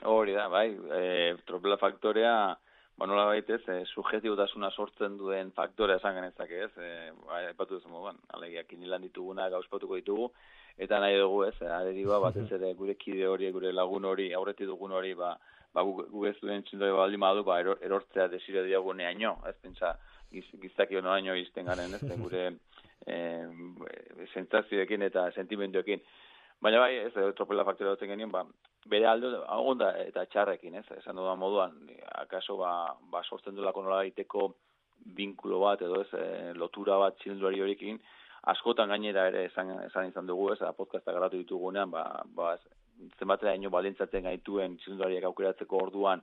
S8: Hori da, tropela faktorea, nola baitez, subjektibotasuna sortzen duen faktorea esan genezake, ez, aipatu duzu moduan, alegia, kinilan dituguna gauzpatuko ditugu, eta nahi dugu, ez, aderiba, batez ere gure kide hori, gure lagun hori, aurretik dugun hori, gu ez duen txindoi baldin badu, erortzea desire diaguneaino, ez, pentsa, gizaki honoraino izten garen, ez, gure sentsazioekin eta sentimenduekin. Baina ez, tropela faktorea dutzen genien, bere aldo, onda eta txarrekin, ez, esan dudan moduan, akaso, sortzen duelako nola daiteko binkulo bat, edo ez, lotura bat txilduari horikin, askotan gainera ere esan izan dugu, ez, podcasta garatu ditugunean, zenbatera ino balintzatzen gaituen txilduariak aukeratzeko orduan,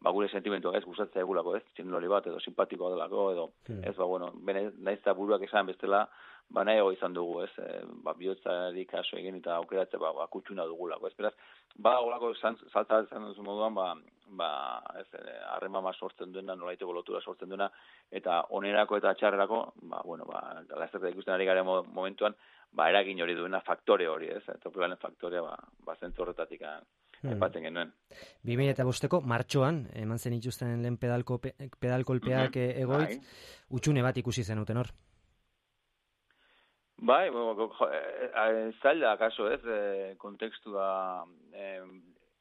S8: gure sentimentuak ez gustatzea egulako, ez, txilduari bat, edo simpatikoa delako, edo, ez, naiz eta buruak esan bestela, nahiago izan dugu, ez, bihotzari kaso egin eta aukeratze, kutsuna dugulako, ez, beraz, olako salta izan duzu moduan, ez, harreman sortzen duena, nolaiteko lotura sortzen duena, eta onerako eta txarrerako, lasterketa ikusten ari garen momentuan, eragin hori duena faktore hori, ez, tropelanen faktorea, zentzu horretatik epatzen genuen.
S2: 2005ko martxoan, eman zen ituzten lehen pedalkolpeak egoitz, utxune bat ikusi zenuten hor.
S8: Zaila, akaso, ez, kontekstua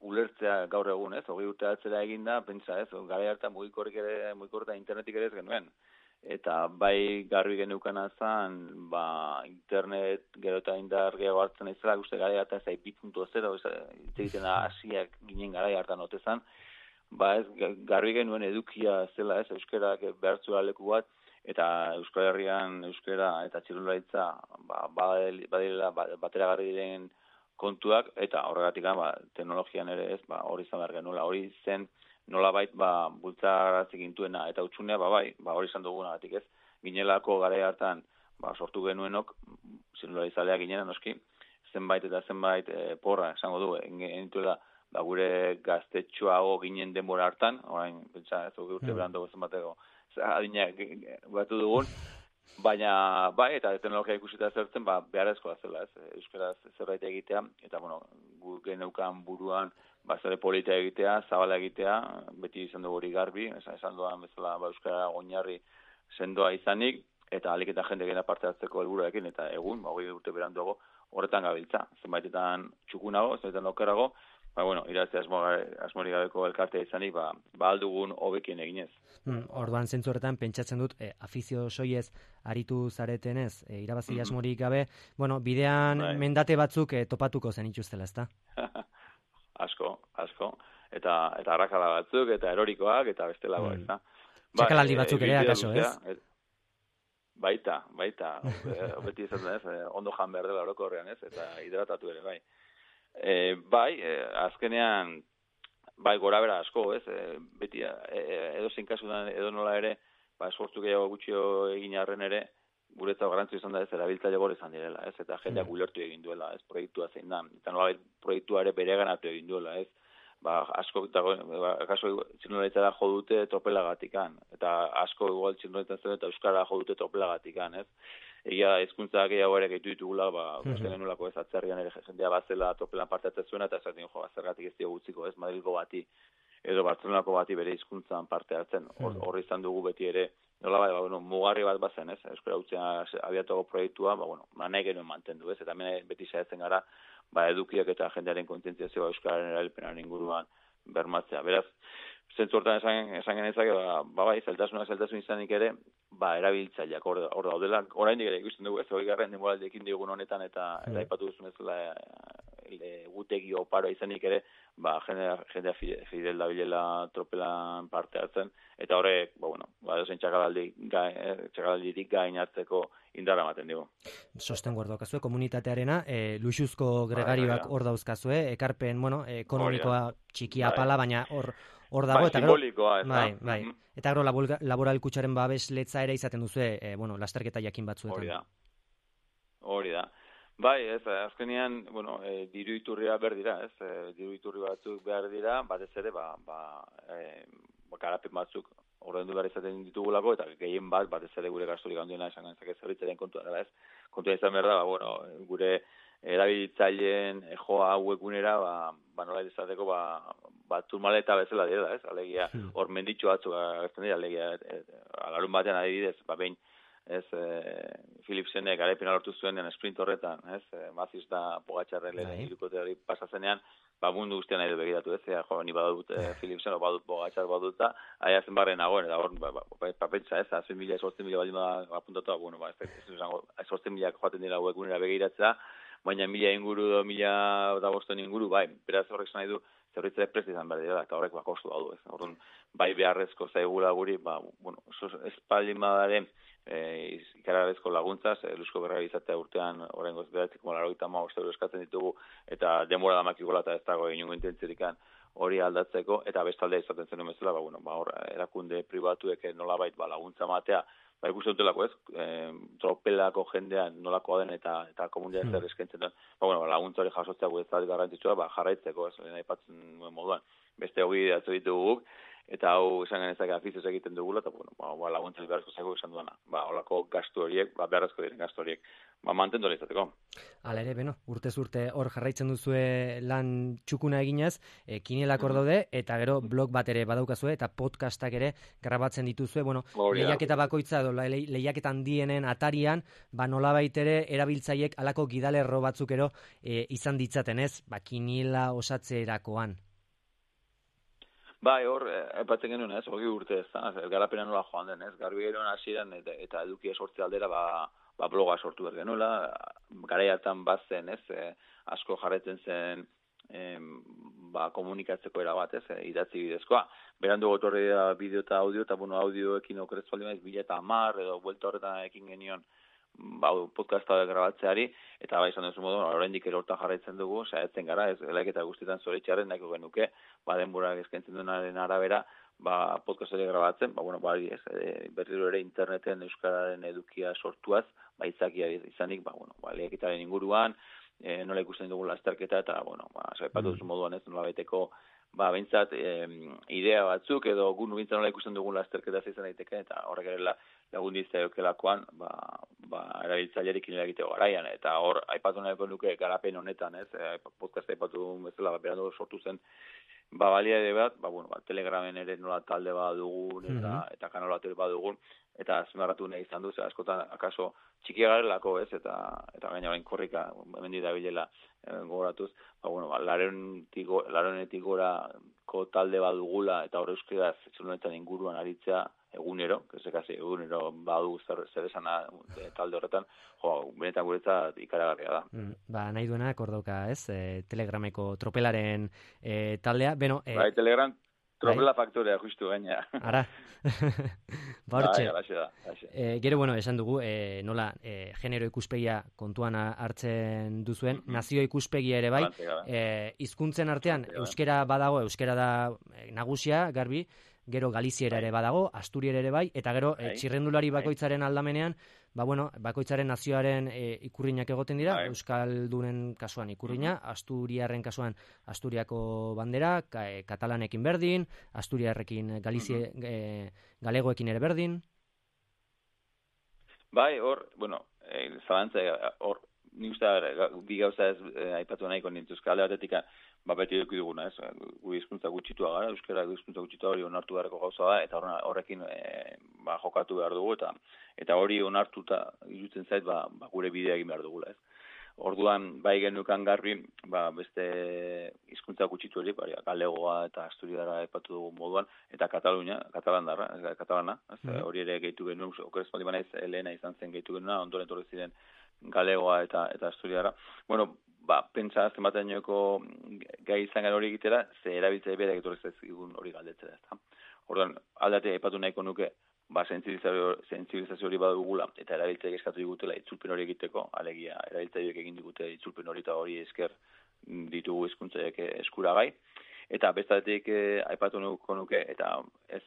S8: ulertzea gaur egun, ez, 20 urte atzera eginda, pentsa, ez, gara hartan mugikorreta internetik ere ez genuen. Eta garbi geneukana zen, internet gero eta indar gehiago hartzen izela, guzti gara hartan ez 2.0, egiten hasiak ginen gara hartan otezan, garbi genuen edukia zela, ez, euskerak behartzura leku bat, eta Euskal Herrian euskera eta txirrendularitza badirela bateragarri diren kontuak, eta horregatik teknologian ere ez, hori izan behar genuela, hori zen nolabait bultzarazik intuena, eta utxunea hori izan dugunagatik ez, ginelako gara hartan sortu genuenok, txirrendularitzalea ginena noski, zenbait eta zenbait porra, esango du, genituela gure gaztetxoago ginen denbora hartan, orain, pentsa, ez urte berandago zenbateko, adinak batu dugun, baina, eta teknologia ikusita zertzen, beharrezkoa zela, ez, euskaraz zerbait egitea, eta, gu geneukan buruan, zere polita egitea, zabala egitea, beti izan dugu hori garbi, esan duan bezala, euskara oinarri sendoa izanik, eta alik eta jende gena parte hartzeko helburuekin, eta egun, 20 urte beranduago, horretan gabiltza, zenbaitetan txukunago, zenbaitetan okerrago, irazi asmorik gabeko elkartea izanik, aldugun hobekien eginez.
S2: Orduan zentzu horretan pentsatzen dut afizio soiez aritu zaretenez, irabazi asmorik gabe, bidean mendate batzuk topatuko zen ituztela, ezta?
S8: Asko. Eta arrakala batzuk, eta erorikoak, eta bestelagoak, ezta?
S2: Txakalaldi batzuk ere, akaso, ez?
S8: Baita. Beti ezaten ez, ondo jan behar dela orokorrean, ez? Eta hidratatu ere, bai. Azkenean, gora bera asko, ez? Beti, edo zein kasudan, edo nola ere, esfortzu gehiago gutxio egin arren ere, guretzat garrantzua izan da ez, erabiltzaile gore izan direla, ez? Eta jendeak ulertu egin duela, ez? Proiektua zein da. Eta nola proiektua ere bereganatu egin duela, ez? Asko kaso txirrindularitzara jo dute tropelagatikan, eta asko igual txirrindularitzen eta euskara jo dute tropelagatikan, ez? Egia hizkuntza gehiago ere gehitu ditugula, ikusten genulako ez, atzerrian ere jendea bazela tropelan parte hartzen zuena, eta esaten zergatik ez diogu utziko, ez? Madrilgo bati edo Bartzelonako bati bere hizkuntzan parte hartzen. Horri izan dugu beti ere, nola mugarri bat bazen, ez? Euskara Hutsean abiatuago proiektua, nahi genuen mantendu, ez? Eta hemen beti saiatzen gara, edukiak eta jendearen kontzientziazioa euskararen erabilpenaren inguruan bermatzea. Beraz, zentzu hortan esan genezake, zeltasun izanik ere, erabiltzaileak hor daudela. Oraindik ere ikusten dugu ez, 20. denboraldeekin digun honetan eta aipatu duzun ez gutegi oparoa izanik ere, jendea fidel dabilela tropelan parte hartzen, eta horrek, edozein txakalaldirik gain hartzeko indarra ematen dugu.
S2: Sostengo hor daukazue, komunitatearena, luxuzko gregarioak hor dauzkazue, ekarpen, ekonomikoa txikia pala, baina hor dago, eta
S8: simbolikoa, ez da.
S2: Bai. Eta gero laboral kutxaren babesletza ere izaten duzue, lasterketa jakin batzuetan.
S8: Hori da. Bai, ez, azkenean, diru iturria behar dira, ez, diru iturri batzuk behar dira, batez ere, garapen batzuk ordaindu behar izaten ditugulako, eta gehien batez ere gure gasturik handiena esan gantzak ez zerbitzaren kontua dela, ez. Kontua izan behar da, gure erabiltzaileen joa webgunera, nola izateko, turmaleta bezala dira, ez, alegia, hor menditxo batzuk agertzen dira, alegia, alarun batean adibidez, behin, ez, Philipsenek garaipena lortu zuenean sprint horretan, ez, Maziz da Pogačarren lehen irukote hori pasazenean, mundu guztian nahi du begiratu, ez, ni badut Philipsen, badut Pogačar badut da, aia zenbarren nagoen, eta hor, papentsa, ez, 18.000 baldin apuntatu, ez izango, 18.000 joaten dira webgunera begiratzea, baina 1.000 inguru, 1.500 inguru, beraz horrek nahi du, zerritzea presti izan behar dira, eta horrek kostu daudu, ez, orduan, beharrezko zaigula guri, espaldin badaren, ikararezko laguntzaz, Luzko Berra izatea urtean oraingoz 985 euro eskatzen ditugu, eta denbora damakikola eta ez dago inongo intentzirikan hori aldatzeko, eta bestaldea izaten zen bezala, hor erakunde pribatuek nolabait laguntza matea, ikusten dutelako ez, tropelako jendean nolakoa den eta komunitatea zer eskaintzen den, laguntza hori jasotzea guretzat garrantzitsua, jarraitzeko, ez, aipatzen moduan, beste hogi datzu ditugu, eta hau esan genezak afizioz egiten dugula, eta laguntzari beharrezko zaigu esan duana. Holako gastu horiek, beharrezko diren gastu horiek, mantendu izateko.
S2: Hala ere, urtez urte hor jarraitzen duzue lan txukuna eginez, kinelak hor daude, eta gero blog bat ere badaukazue, eta podcastak ere grabatzen dituzue, lehiaketa bakoitza, lehiaketa handienen atarian, nolabait ere erabiltzaiek alako gidalerro batzuk ero izan ditzaten ez, kinela osatzerakoan.
S8: Hor, epatzen genuen, ez, 20 urte ez, garapena nola joan den, ez, garbi geroen hasieran eta edukia sortze aldera, bloga sortu behar genuela, garaiatan bazen, ez, asko jarretzen zen, komunikatzeko erabat, ez, idatzi bidezkoa. Berandu gotorri da bideo eta audio, eta audioekin okerez baldin maiz, 2010 edo buelta horretan ekin genion, podcasta grabatzeari, eta izan duzu modu, oraindik ere hortan jarraitzen dugu, saiatzen gara, ez, eleketa guztietan zoritxarren nahiko genuke, denborak eskaintzen duenaren arabera, podcast hori grabatzen, berriro ere interneten euskararen edukia sortuaz, izakia izanik, eleketaren inguruan, nola ikusten dugu lasterketa, eta, saipatu duzu moduan ez, nola baiteko, bintzat, idea batzuk, edo gunu bintzat nola ikusten dugu lasterketa izan daiteke, eta horrek ere lagundizia jokelakoan, erabiltzailerik inela egiteko garaian, eta hor, aipatu nahiko nuke garapen honetan, ez, podcast aipatu bezala, berandu sortu zen, balia ere bat, Telegramen ere nola talde bat dugun, eta kanal bat ere bat dugun, eta azmarratu nahi izan du, askotan, akaso, txikia garelako, ez, eta gaina orain korrika, hemendik dabilela gogoratuz, laronetik gorako talde bat dugula, eta hor euskaraz, etxunetan inguruan aritzea, egunero, egunero badu zer esana talde horretan, benetan guretzat ikaragarria da.
S2: Nahi duena, kordauka, ez? Telegrameko tropelaren taldea. Beno,
S8: Telegram tropela faktorea justu gaina.
S2: Ara. Hortxe.
S8: Da.
S2: Gero, esan dugu, nola, genero ikuspegia kontuan hartzen duzuen, nazio ikuspegia ere bai, hizkuntzen artean, euskera badago, euskera da nagusia, garbi, gero Galiziera ere badago, Asturiera ere bai, eta gero txirrendulari bakoitzaren aldamenean, bakoitzaren nazioaren ikurriñak egoten dira, Euskaldunen kasuan ikurriña, Asturiarren kasuan Asturiako bandera, katalanekin berdin, Asturiarrekin galegoekin ere berdin.
S8: Bai, zalantza, ni uste bi gauza ez aipatu nahiko nintuzka, alde batetik beti eduki duguna, ez? Gu hizkuntza gutxitua gara, euskara hizkuntza gutxitua hori onartu beharreko gauza da, eta horrekin jokatu behar dugu, eta hori onartuta irutzen zait, gure bidea egin behar dugula, ez? Orduan, bai genukan garbi, beste hizkuntza gutxitu hori, galegoa eta asturiara aipatu dugu moduan, eta katalana, hori ere gehitu genuen, okerez bali banaiz, lehena izan zen gehitu genuen, ondoren torri ziren galegoa eta asturiara. Pentsa zenbateaneko gai izan gara hori egitera, ze erabiltzea berak etorri zaigun hori galdetzera, ezta. Orduan, aldate aipatu nahiko nuke, sentsibilizazio hori badugula, eta erabiltzea eskatu digutela itzulpen hori egiteko, alegia erabiltzaileek egin digute itzulpen hori eta hori esker ditugu hizkuntzaileek eskuragai. Eta bestatik aipatu nahiko nuke, eta ez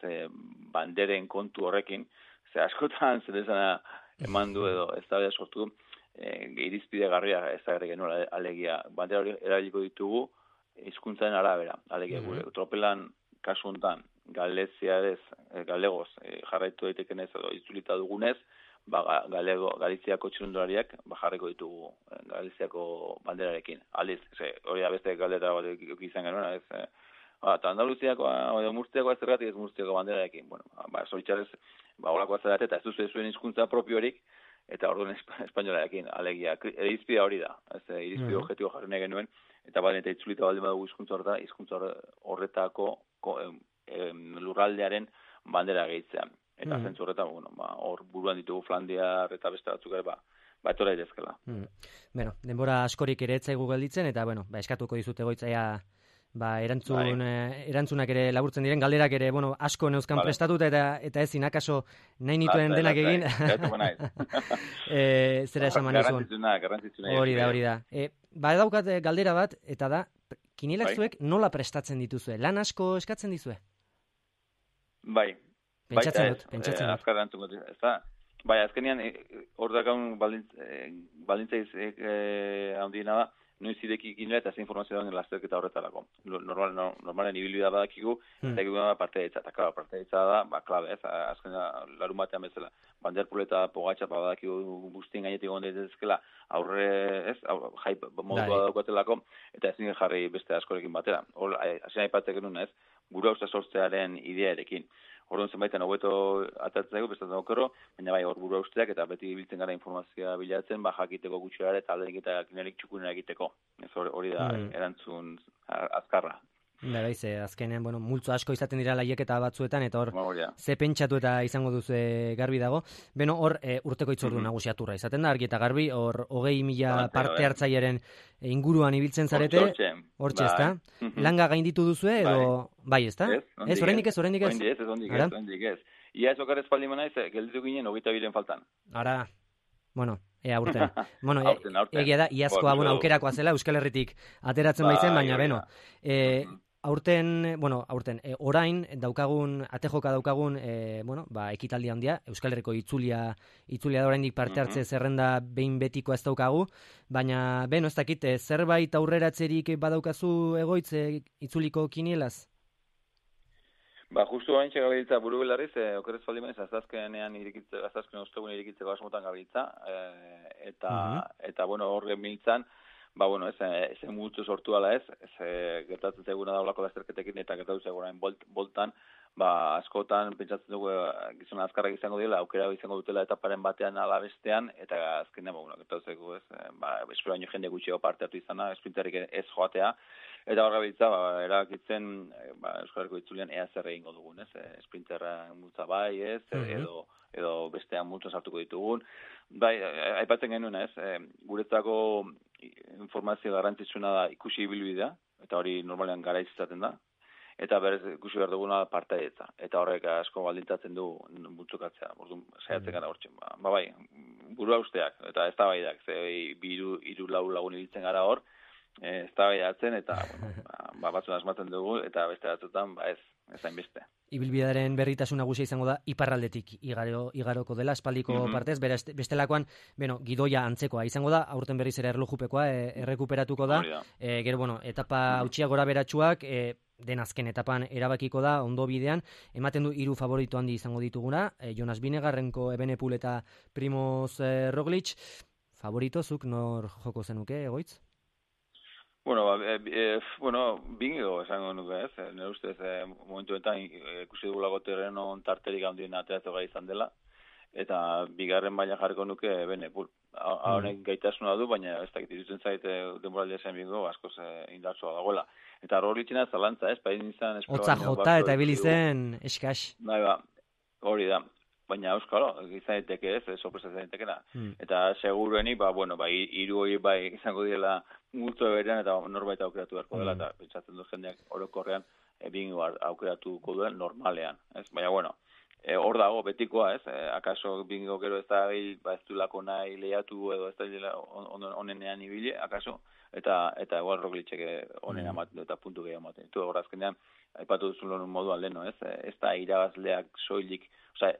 S8: banderen kontu horrekin, ze askotan zer esana eman du edo ez da sortu du, irizpide garria ezagarri genuen, alegia, bandera hori erabiliko ditugu hizkuntzaren arabera, alegia, gure tropelan kasu honetan, galegoz jarraitu daiteken ez edo itzulita dugunez, Galiziako txirrindulariak jarriko ditugu Galiziako banderarekin. Aldiz, hori da beste galdera bat izan genuen, ez, eta Andaluziako, Murtziako ez Murtziako banderarekin. Zoritxarez, holakoa zerate, eta ez duzu zuen hizkuntza propiorik, eta orduan espainolarekin, alegia, irizpidea hori da, irizpide objektibo jarri nahi genuen, eta eta itzulita baldin badugu hizkuntza horretako lurraldearen bandera gehitzean. Eta zentzu horretan, hor buruan ditugu Flandiar eta beste batzuk ere, etora idezkela.
S2: Denbora askorik ere etzaigu gelditzen, eta, eskatuko dizute goitzaia, erantzunak ere laburtzen diren, galderak ere, asko neuzkan prestatuta, eta ezin akaso nahi nituen denak egin. Zera esan manizun.
S8: Garrantzitsuna.
S2: Hori da. Daukat galdera bat, eta da, kinielak zuek nola prestatzen dituzue? Lan asko eskatzen dizue?
S8: Bai.
S2: Pentsatzen dut.
S8: Azkar erantzungo dut, ez da? Azkenean, hor dakaun balintza handiena da, noiz ideki ginela eta ze informazioa dagoen lasterketa horretarako. Normalen ibilbidea badakigu, eta egin partea ditza. Eta partea da, klabe, ez? Azkenean, larun batean bezala, banderpuleta pogatxa badakigu guztien gainetik egon daitezkela, aurre, ez? Jai modua daukatelako, eta ezin jarri beste askorekin batera. Hor, hasien aipatzen genuen, ez? Gure usta sortzearen idearekin. Orduan zenbaitan hobeto atatzeko, bestatzen okerro, baina hor burua usteak eta beti biltzen gara informazioa bilatzen, jakiteko gutxera eta alderik eta kinerik txukunera egiteko. Hori da erantzun azkarra.
S2: Azkenean, multzo asko izaten dira laieketa batzuetan, eta hor, ze pentsatu eta izango duzu garbi dago. Hor, urteko itzordu nagusiaturra izaten da, argi eta garbi, hor, 20.000 parte hartzailearen inguruan ibiltzen zarete, hortxe, ezta? Langa gainditu duzue, edo, bai, ezta? Ez, oraindik ez? Oraindik
S8: ez. Ia ez okarez paldi manaiz, gelditu ginen 22 faltan.
S2: Ara, aurten. Egia da, iazkoa aukerakoa zela, Euskal Herritik ateratzen baitzen, baina, aurten, orain daukagun, atejoka daukagun, ekitaldi handia, Euskal Herriko itzulia da oraindik parte hartze zerrenda behin betikoa ez daukagu, baina, ez dakit, zerbait aurreratzerik badaukazu egoitz itzuliko kinielaz?
S8: Justu hain gabiltza buru belarriz, okerez faldimenez, azazken ostegun irikitzeko asmotan gabiltza, eta hor gemiltzan, bueno, ez multzo sortu ala ez gertatzen zaiguna da olako lasterketekin eta gertatu zaigunain boltan, askotan pentsatzen dugu gizona azkarrak izango dela, aukera izango dutela etaparen batean ala bestean, eta azkenean, gertatu zaigu ez, espero baino jende gutxiago parte hartu izana, esprinterik ez joatea, eta hor gabiltza, erabakitzen, Euskal Herriko itzulian ea zer egingo dugun, ez, sprinterra multza bai, ez, edo bestean multza sartuko ditugun. Bai, aipatzen genuen, ez, guretzako informazio garrantzitsuna da ikusi ibilbidea, eta hori normalean garaiz izaten da, eta berez ikusi behar duguna partaidetza. Eta horrek asko baldintzatzen du multzokatzea, orduan saiatzen gara hortzen. Bai, burua usteak, eta ez da baidak, hiru lagun ibiltzen gara hor, ez da baidatzen, eta batzun asmatzen dugu, eta beste batzutan, ez hainbeste.
S2: Ibilbidearen berritasun nagusia izango da iparraldetik igaroko dela, espaldiko partez, bestelakoan, gidoia antzekoa izango da, aurten berriz ere erlojupekoa errekuperatuko da, gero, etapa hautsia gora beratsuak, den azken etapan erabakiko da, ondo bidean, ematen du 3 favorito handi izango dituguna, Jonas Vingegaard, Remco Evenepoel eta Primoz Roglic. Favoritozuk nor joko zenuke, Egoitz?
S8: Bingo esango nuke ez, nire ustez momentuetan ikusi dugulako terreno tarterik handien ateratzen gai izan dela, eta bigarren baina jarriko nuke Evenepoel. Honek gaitasuna du, baina ez dakit irutzen zaite denboraldia zen bingo, askoz indartsua dagoela. Eta Roglicena zalantza ez, pain izan...
S2: Hotza jota eta ebili zen eskas.
S8: Hori da. Baina euskalo, izan daiteke ez, sorpresa izan daitekena. Eta seguruenik, hiru hori izango direla multzo berean eta norbait aukeratu beharko dela, eta pentsatzen du jendeak orokorrean bingo aukeratuko duen normalean. Baina, hor dago betikoa, ez? Akaso bingo gero ez da ez duelako nahi lehiatu edo ez da onenean ibili, akaso, eta igual Roglicek onen amaten eta puntu gehiago amaten. Itu hor azkenean, aipatu duzun moduan leheno, ez? Ez da irabazleak soilik,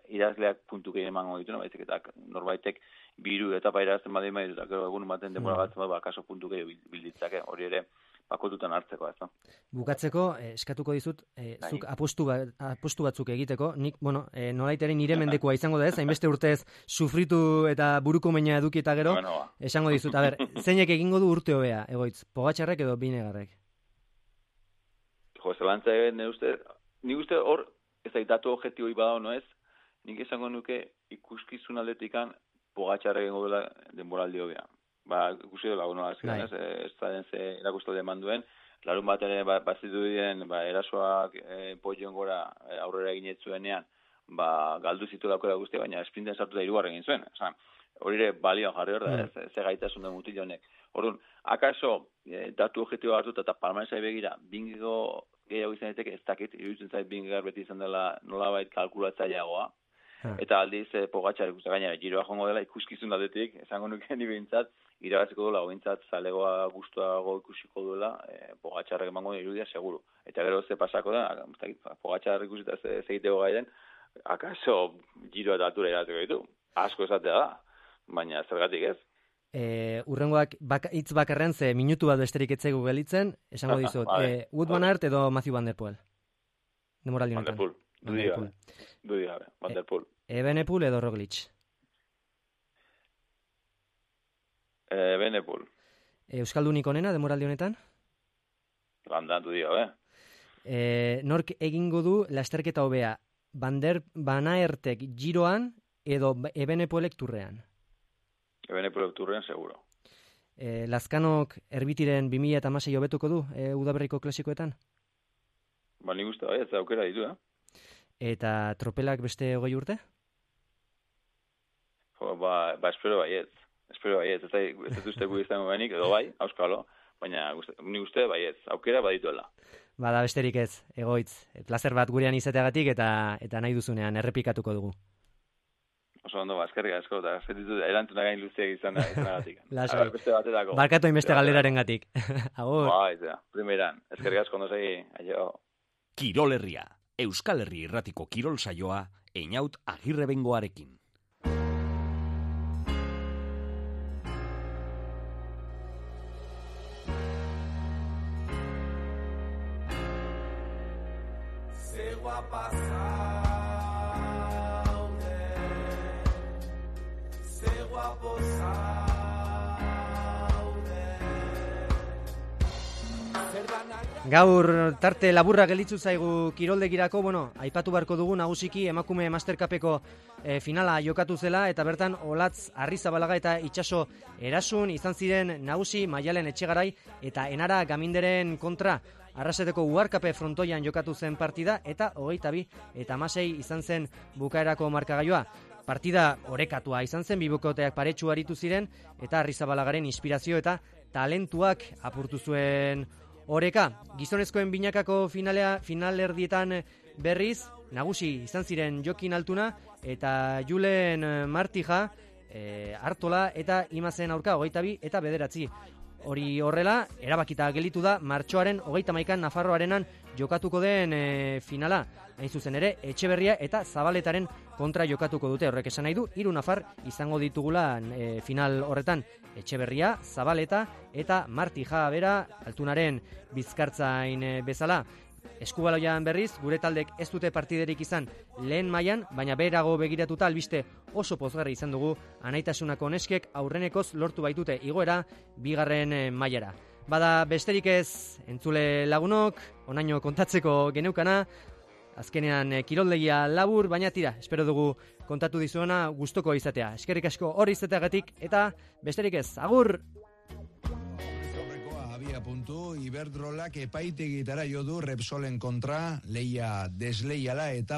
S8: irabazleak puntu gehiago emango ditu, baizik eta norbaitek biru etapa irabazten badin baditu, eta gero egun ematen denbora batzen badu, akaso puntu gehiago bilditzake, hori ere bakotutan hartzeko, ez da.
S2: Bukatzeko, eskatuko dizut, zuk apostu batzuk egiteko, nik, nolaiteren nire mendekoa izango da ez, hainbeste urtez sufritu eta buruko meina eduki eta gero, esango dizut, zeinek egingo du urte hobea, Egoitz, Pogačarrek edo Vingegaardek?
S8: Zelantza egin, nik uste hor, ez da datu objektiboi badao, no ez, nik esango nuke ikuskizun aldetikan Pogačarrek egingo dela denboraldi hobea. Ikusi dela, ez da den ze erakustalde eman duen, larun bat ere bazitu diren erasoak poion gora aurrera eginetzuenean, galdu zitu daukera guztia, baina esprinten sartu da 3. egin zuen. Hori ere balioan jarri hor da, ze gaitasun den mutil honek. Orduan, akaso datu objektibo hartuta eta palmaresai begira, bingo gehiago izan daiteke ez dakit, iruditzen zait Vingegaard beti izan dela nolabait kalkulatzaileagoa, eta aldiz Pogačar ikusten gainera giroa joango dela ikuskizun aldetik, esango nuke ni behintzat, irabaziko duela, behintzat zalegoa gustuago ikusiko duela, Pogačarrek emango irudia seguru. Eta gero ze pasako da, Pogačar ikusita ez egiteko gaiden, akaso giroa eta altura irabaziko ditu. Asko esatea da, baina zergatik ez.
S2: Urrengoak hitz bakarren ze minutu bat besterik etzaigu gelitzen, esango dizut, Wout van Aert edo Mathieu van der Poel? Demoraldi honetan.
S8: Dudi gabe, Van der Poel.
S2: Evenepoel edo Roglic?
S8: Evenepoel.
S2: Euskaldunik onena demoraldi honetan?
S8: Bandan, dudi gabe.
S2: Nork egingo du lasterketa hobea? Van Aertek giroan edo Evenepoelek turrean?
S8: Evenepoelek turrean, seguro.
S2: Lazkanok erbitiren 2016 hobetuko du udaberriko klasikoetan?
S8: Nik uste bai, ez aukera ditu,
S2: Eta tropelak beste 20 urte?
S8: Espero baiet. Ez uste gu izango benik, edo bai, auskalo, baina nik uste baiet, aukera badituela.
S2: Bada besterik ez, Egoitz, plazer bat gurean izateagatik eta nahi duzunean errepikatuko dugu.
S8: Oso ondo, eskerrik asko, eta eskertitu erantzuna gain luziak izanagatik.
S2: Lasai,
S8: beste batetako.
S2: Barkatu hainbeste galderaren gatik. Agur.
S8: Primeran, eskerrik asko, segi, aio.
S1: Kirol Herria, Euskal Herri irratiko kirol saioa, Einaut Agirrebengoarekin.
S2: Gaur tarte laburra gelitzu zaigu kiroldegirako, aipatu beharko dugu nagusiki emakume Mastercupeko finala jokatu zela, eta bertan Olatz Arrizabalaga eta Itxaso Erasun izan ziren nagusi Maialen Etxegarai eta Enara Gaminderen kontra. Arraseteko Uharkape frontoian jokatu zen partida, eta 22 eta 16 izan zen bukaerako markagailua. Partida orekatua izan zen, bibukoteak paretsu aritu ziren, eta Arrizabalagaren inspirazio eta talentuak apurtu zuen oreka. Gizonezkoen binakako finalerdietan berriz, nagusi izan ziren Jokin Altuna eta Julen Martija, Artola eta Imazen aurka 22 eta 9. Hori horrela, erabakita gelitu da martxoaren 31 Nafarroarenan jokatuko den finala. Hain zuzen ere, Etxeberria eta Zabaletaren kontra jokatuko dute. Horrek esan nahi du, 3 nafar izango ditugula final horretan. Etxeberria, Zabaleta eta Martija bera, Altunaren bizkartzain bezala. Eskubaloian berriz, gure taldek ez dute partiderik izan lehen mailan, baina beherago begiratuta albiste oso pozgarri izan dugu Anaitasunako neskek aurrenekoz lortu baitute igoera 2. mailara. Bada besterik ez entzule lagunok, onaino kontatzeko geneukana, azkenean kiroldegia labur, baina tira, espero dugu kontatu dizuena gustoko izatea. Eskerrik asko hor izateagatik eta besterik ez, agur!
S9: Iberdrolak epaitegitara jo du Repsolen kontra, lehia desleiala eta